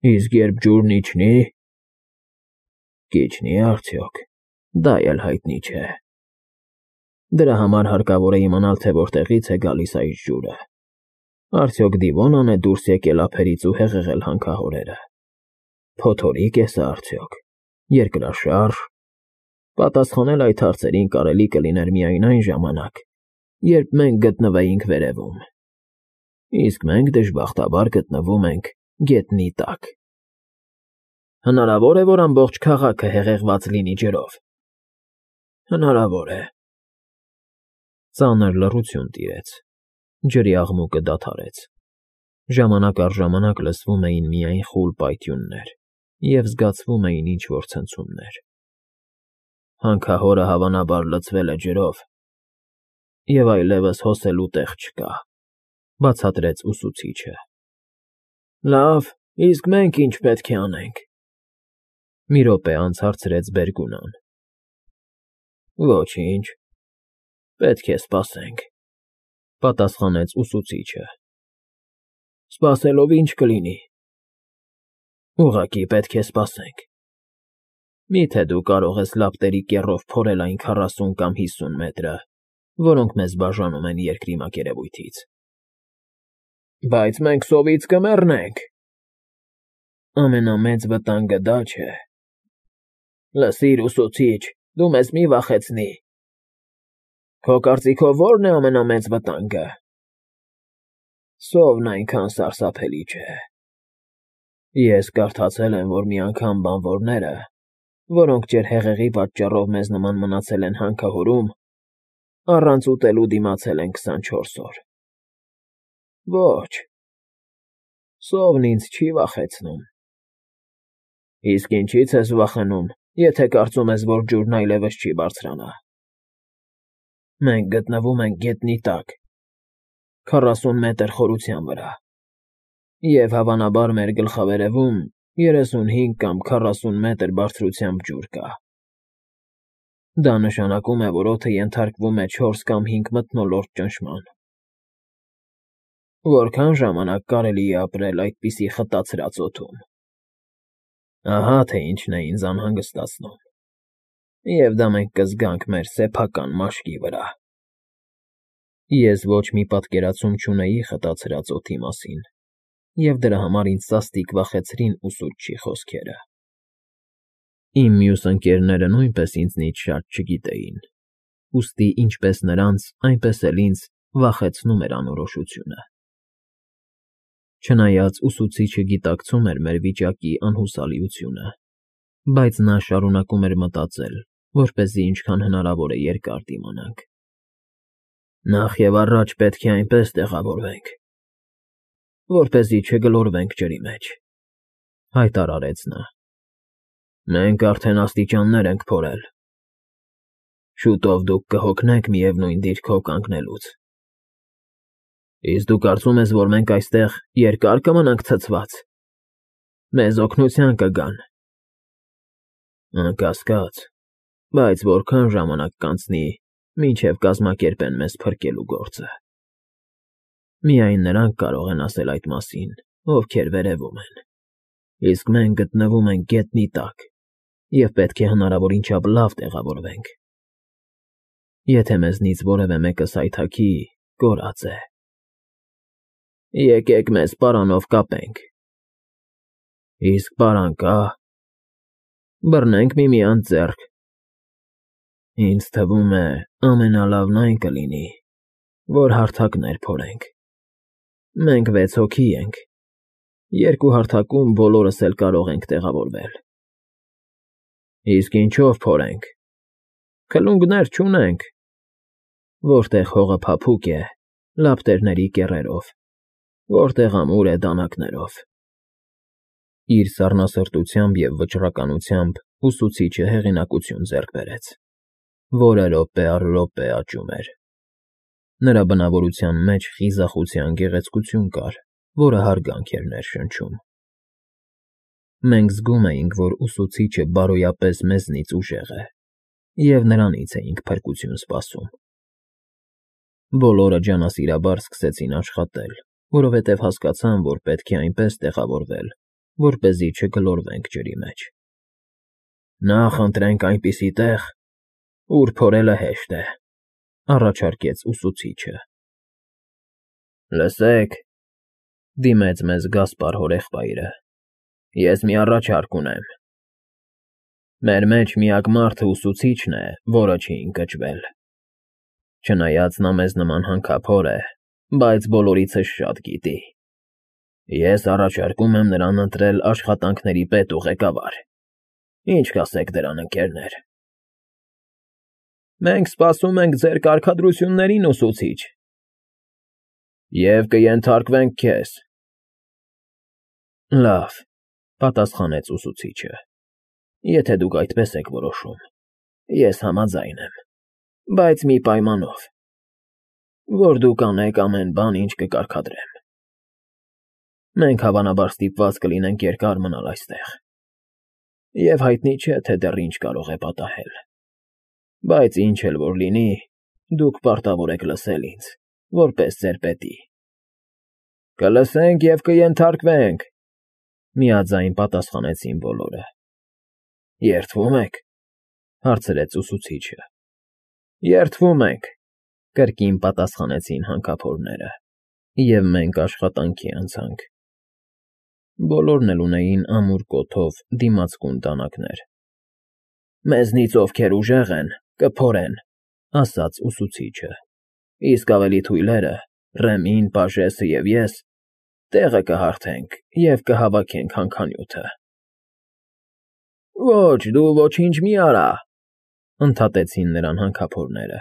Իսկ երբ ջուրն իջնի, կիջնի արդյոք, դա էլ հայտնի չէ։ Դրա համար հարկավոր է իմանալ, թե որտեղից է գալիս այս ջուրը։ Արդյոք Դիվոնան է դուրս եկել ափերից ու հեղեղել հանքահորերը։ Փոթորիկ է սա արդյոք, երկրաշարժ։ Պատասխանել այդ հարցերին կարելի կլիներ միայն այն ժամանակ, երբ մենք գտնվեինք վերևում։ Իսկ մենք դժբախտաբար գտնվում ենք գետնի տակ։ Հնարավոր է, որ ամբողջ քաղաքը հեղեղված լինի ջրով։ Հնարավոր է։ Ծանր լռություն տիրեց։ Ջրի աղմուկը դադարեց։ Ժամանակ առ ժամանակ լսվում էին միայն խուլ պայթյուններ և զգացվում էին ինչ֊որ ցնցումներ։ Հանքահորը հավանաբար լցվել է ջրով, և այլևս հոսելու տեղ չկա, բացատրեց ուսուցիչը։ Լավ, իսկ մենք ինչ պետք է անենք։ Մի րոպե անց հարցրեց Բերգունան։ Ոչինչ, պետք է սպասենք, պատասխանեց ուսուցիչը։ Սպասելով ինչ կլինի։ Ուղղակի պետք է սպասենք։ Մի՞թե դու կարող ես լապտերի կեռով փորել այն 40 կամ 50 մետրը, որոնք մեզ բաժանում են երկրի մակերևույթից։ Բայց մենք սովից կմեռնենք։ Ամենամեծ վտանգը դա չէ։ Լսիր, ուսուցիչ, դու մեզ մի վախեցնի։ Քո կարծիքով ո՞րն է ամենամեծ վտանգը։ Սովն այնքան սարսափելի չէ։ Ես կարդացել եմ, որ մի անգամ բանվորները, որոնք ջրհեղեղի պատճառով մեզ նման մնացել են հանքահորում, առանց ուտելու դիմացել են 24 օր։ Ոչ, սովն ինձ չի վախեցնում։ Իսկ ինչի՞ց ես վախենում, եթե կարծում ես, որ ջուրն այլևս չի բարձրանա։ Մենք գտնվում ենք գետնի տակ, 40 մետր խորության վրա, և հավանաբար մեր գլխավերևում 35 կամ 40 մետր բարձրությամբ ջուր կա։ Դա նշանակում է, որ օդը ենթարկվում է 4 կամ 5 մթնոլորտ ճնշման։ Որքան ժամանակ կարելի է ապրել այդպիսի խտացրած օդում։ Ահա թե ինչն է ինձ անհանգստացնում։ Եվ դա մենք կզգանք մեր սեփական մաշկի վրա։ Ես ոչ մի պատկերացում չունեի խտացրած օդի մասին, և դրա համար ինձ սաստիկ վախեցրին ուսուցչի խոսքերը։ Իմ մյուս ընկերները նույնպես ինձնից շատ չգիտեին, ուստի ինչպես նրանց, այնպես էլ ինձ վախեցնում էր անորոշությունը։ Չնայած ուսուցիչը գիտակցում էր մեր վիճակի անհուսալիությունը, բայց նա շարունակում էր մտածել, որպեսզի ինչքան հնարավոր է երկար դիմանանք։ Նախ և առաջ պետք է այնպես տեղավորվենք, որպեսզի չգլորվենք ջրի մեջ, հայտարարեց նա։ Մենք արդեն աստիճաններ ենք փորել։ Շուտով դուք կհոգնեք միևնույն դիրքով կանգնելուց։ Իսկ դու կարծում ես, որ մենք այստեղ երկար կմնանք ցցված։ Մեզ օգնության կգան։ Անկասկած, բայց որքան ժամանակ կանցնի, մինչև կազմակերպեն մեզ փրկելու գործը։ Միայն նրանք կարող են ասել այդ մասին, ովքեր վերևում են, իսկ մենք գտնվում ենք գետնի տակ և պետք է հնարավորին չափ լավ տեղավորվենք։ Եթե մեզնից որևէ մեկը սայթաքի, կորած է։ Եկեք մեզ պարանով կապենք։ Իսկ պարան կա։ Բռնենք միմյանց ձեռք։ Ինձ թվում է, ամենալավն այն կլինի, որ հարթակներ փորենք։ Մենք 6 հոգի ենք, 2 հարթակում բոլորս էլ կարող ենք տեղավորվել։ Իսկ ինչով փորենք։ Քլունգներ չունենք։ Որտեղ հողը փափուկ է, լապտերների կեռերով, որտեղ ամուր է, դանակներով։ Իր սառնասրտությամբ և վճռականությամբ ուսուցիչը հեղինակություն ձեռք բերեց, որը րոպե առ րոպե աճում էր։ Նրա բնավորության մեջ խիզախության գեղեցկություն կար, որը հարգանք էր ներշնչում։ Մենք զգում էինք, որ ուսուցիչը բարոյապես մեզնից ուժեղ է, և նրանից էինք փրկություն սպասում։ Բոլորը ջանասիրաբար սկսեցին աշխատել, որովհետև հասկացան, որ պետք է այնպես տեղավորվել, որպեսզի չգլորվենք ջրի մեջ։ Նախ ընտրենք այնպիսի տեղ, ուր փորելը հեշտ է, առաջարկեց ուսուցիչը։ Լսեք, դիմեց մեզ Գասպար հորեղբայրը, ես մի առաջարկ ունեմ։ Մեր մեջ միակ մարդը ուսուցիչն է, որը չի ընկճվել։ Չնայած նա մեզ նման հանքափոր է, բայց բոլորիցս շատ գիտի։ Ես առաջարկում եմ նրան ընտրել աշխատանքների պետ ու ղեկավար։ Ինչ կասեք դրան, ընկերներ։ Մենք սպասում ենք ձեր կարգադրություններին, ուսուցիչ։ Եվ կենթարկվենք քեզ։ Լավ, պատասխանեց ուսուցիչը։ Եթե դուք այդպես եք որոշում, ես համաձայն եմ, բայց մի պայմանով, որ դուք անեք ամեն բան, ինչ կկարգադրեմ։ Մենք հավանաբար ստիպված կլինենք երկար մնալ այստեղ։ Եվ հայտնի չէ, թե դեռ ինչ կարող է պատահել։ Բայց ինչ էլ որ լինի, դուք պարտավոր եք լսել ինձ, որպես ձեր պետի։ Կլսենք և կենթարկվենք, միաձայն պատասխանեցին բոլորը։ Երդվում եք, հարցրեց ուսուցիչը։ Երդվում ենք, կրկին պատասխանեցին հանքափորները, և մենք աշխատանքի անցանք։ Բոլորն էլ ունեին ամուր կոթով դիմացկուն տանականներ։ Մեզնից ովքեր ուժեղ են, կփորեն, ասաց ուսուցիչը, իսկ ավելի թույլերը, Ռեմին, Պաժեսը և ես, տեղը կհարթենք և կհավաքենք հանքանյութը։ Ոչ, դու ոչինչ մի արա, ընդհատեցին նրան հանքափորները։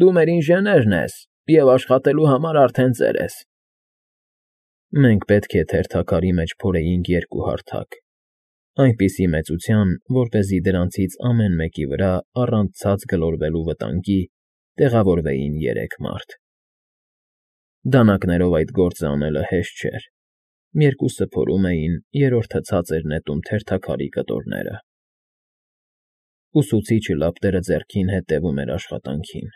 Դու մեր ինժեներն ես և աշխատելու համար արդեն ծեր ես։ Մենք պետք է թերթակարի մեջ փորեինք 2 հարթակ, այնպիսի մեծության, որպեսզի դրանցից ամեն մեկի վրա առանց ցած գլորվելու վտանգի տեղավորվեին 3 մարդ։ Դանակներով այդ գործը անելը հեշտ չէր։ Երկուսը փորում էին, երրորդը ցած էր նետում թերթակարի կտորները։ Ուսուցիչը լապտերը ձեռքին հետևում էր աշխատանքին։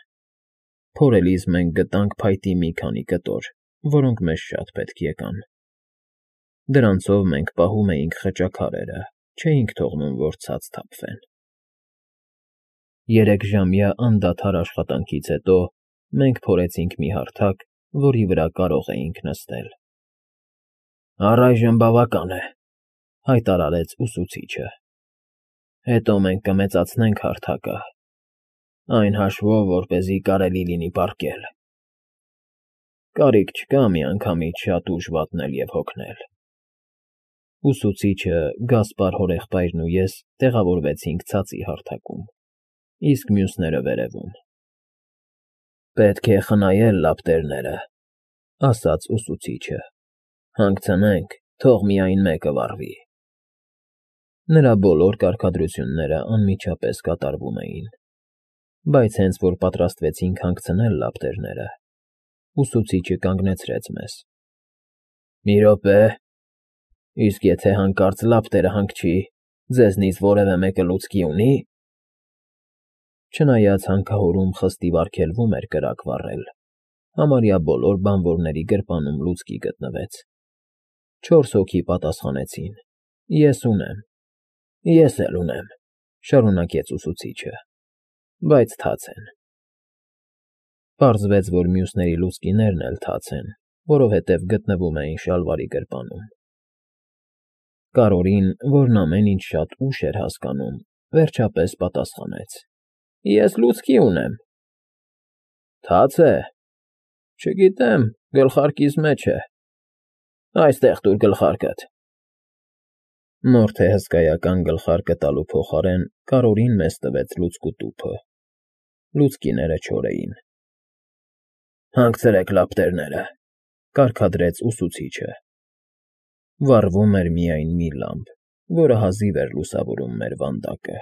Փորելիս մենք գտանք փայտի մի քանի կտոր, որոնք մեզ շատ պետք եկան։ Դրանցով մենք պահում էինք խճաքարերը, չէինք թողնում, որ ցած թափվեն։ 3-ժամյա անդադար աշխատանքից հետո մենք փորեցինք մի հարթակ, որի վրա կարող էինք նստել։ Առայժմ բավական է, հայտարարեց ուսուցիչը։ Հետո մենք կմեծացնենք հարթակը, այն հաշվով, որպեսզի կարելի լինի պառկել։ Կարիք չկա միանգամից շատ ուժ վատնել և հոգնել։ Ուսուցիչը, Գասպար հորեղբայրն ու ես տեղավորվեցինք ցածի հարթակում, իսկ մյուսները վերևում։ Պետք է խնայել լապտերները, ասաց ուսուցիչը։ Հանգցնենք, թող միայն մեկը վառվի։ Նրա բոլոր կարգադրությունները անմիջապես կատարվում էին, բայց հենց որ պատրաստվեցինք հանգցնել լապտերները, ուսուցիչը կանգնեցրեց մեզ։ Մի րոպե, իսկ եթե հանկարծ լապտերը հանգչի, ձեզնից որևէ մեկը լուցկի ունի՞։ Չնայած հանքահորում խստիվ արգելվում էր կրակ վառել, համարյա բոլոր բանվորների գրպանում լուցկի գտնվեց։ 4 հոգի պատասխանեցին. Ես ունեմ։ Ես էլ ունեմ, շարունակեց ուսուցիչը, բայց թաց են։ Պարզվեց, որ մյուսների լուցկիներն էլ թաց են, որովհետև գտնվում էին շալվարի գրպանում։ Կարորին, որն ամեն ինչ շատ ուշ էր հասկանում, վերջապես պատասխանեց. Ես լուցկի ունեմ։ Թաց է։ Չգիտեմ, գլխարկիս մեջ է։ Այստեղ տուր գլխարկդ։ Նոր թե հսկայական գլխարկը տալու փոխարեն Կարորին մեզ տվեց լուցկու տուփը։ Լուցկիները չոր էին։ Հանգցրեք լապտերները, կարգադրեց ուսուցիչը։ Վառվում էր միայն մի լամպ, որը հազիվ էր լուսավորում մեր վանդակը։